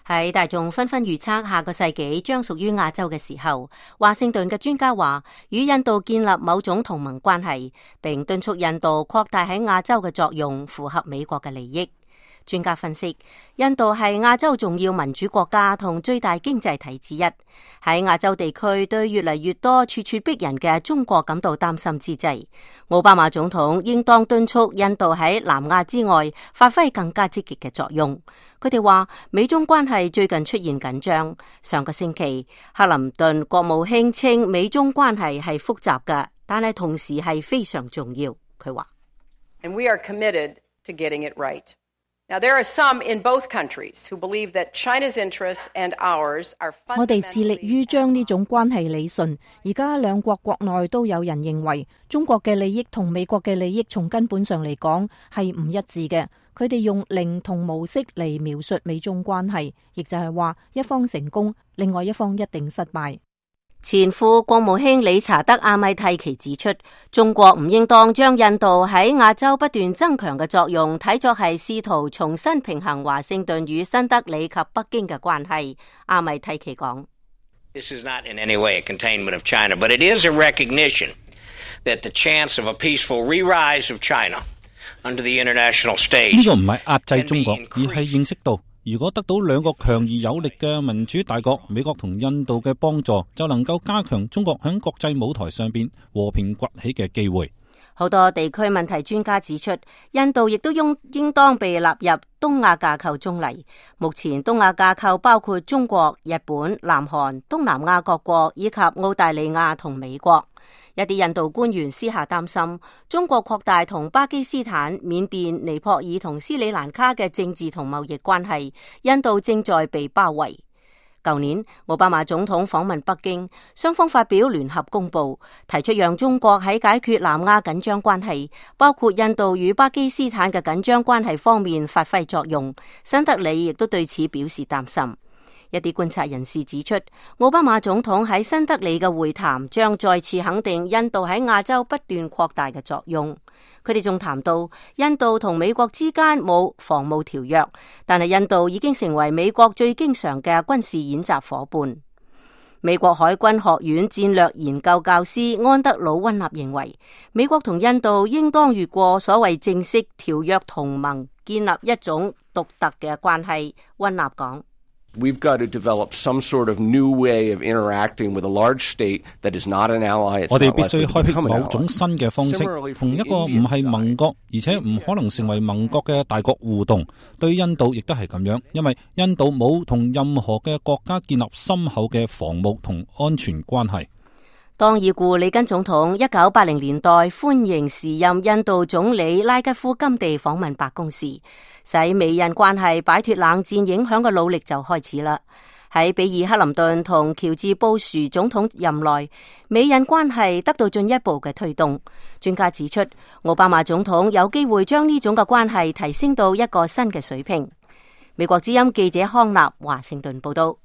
喺大眾紛紛預測下個世紀將屬於亞洲嘅時候，華盛頓嘅專家話與印度建立某種同盟關係，並敦促印度擴大喺亞洲嘅作用，符合美國嘅利益。專家分析，印度係亞洲重要民主國家同最大經濟體之一。喺亞洲地區對越嚟越多咄咄逼人嘅中國感到擔心之際，奧巴馬總統應當敦促印度喺南亞之外發揮更加積極嘅作用。佢哋話，美中關係最近出現緊張。上個星期，克林頓國務卿稱美中關係係複雜嘅，但係同時係非常重要。佢話：And we are committed to getting it right. Now, there are some in both countries who believe that China's interests and ours are fundamentally. 我哋致力於將呢種關係理順。而家兩國國內都有人認為，中國嘅利益同美國嘅利益從根本上嚟講係唔一致嘅。佢哋用零同模式嚟描述美中關係，亦就係話一方成功，另外一方一定失敗。前副國務卿理查德·阿米蒂奇指出，中國唔應當將印度喺亞洲不斷增強嘅作用睇作係試圖重新平衡華盛頓與新德里及北京嘅關係。阿米蒂奇講：This is not in any way a containment of China, but it is a recognition that the chance of a peaceful re-rise of China under the international stage。呢個唔係壓制中國，而係認識到，如果得到兩個強而有力嘅民主大國美國同印度嘅幫助，就能夠加強中國喺國際舞台上邊和平崛起嘅機會。好多地區問題專家指出，印度亦都應當被納入東亞架構中嚟。目前東亞架構包括中國、日本、南韓、東南亞各國以及澳大利亞同美國。一啲印度官員私下擔心，中國擴大同巴基斯坦、緬甸、尼泊爾同斯里蘭卡嘅政治同貿易關係，印度正在被包圍。舊年奧巴馬總統訪問北京，雙方發表聯合公報，提出讓中國喺解決南亞緊張關係，包括印度與巴基斯坦嘅緊張關係方面發揮作用。新德里亦都對此表示擔心。一啲觀察人士指出，奧巴馬總統喺新德里嘅會談將再次肯定印度喺亞洲不斷擴大嘅作用。佢哋仲談到印度同美國之間冇防務條約，但係印度已經成為美國最經常嘅軍事演習夥伴。美國海軍學院戰略研究教師安德魯溫納認為，美國同印度應當越過所謂正式條約同盟，建立一種獨特嘅關係。溫納講：We've got to develop some sort of new way of interacting with a large state that is not an ally. 我哋必須開闢某種新嘅方式，同一個唔係盟國，而且唔可能成為盟國嘅大國互動。對印度亦都係咁樣，因為印度冇同任何嘅國家建立深厚嘅防務同安全關係。當已故里根總統1980年代歡迎時任印度總理拉吉夫甘地訪問白宮時，使美印關係擺脫冷戰影響嘅努力就開始啦。喺比爾克林頓同喬治布殊總統任內，美印關係得到進一步嘅推動。專家指出，奧巴馬總統有機會將呢種嘅關係提升到一個新嘅水平。美國之音記者康納華盛頓報道。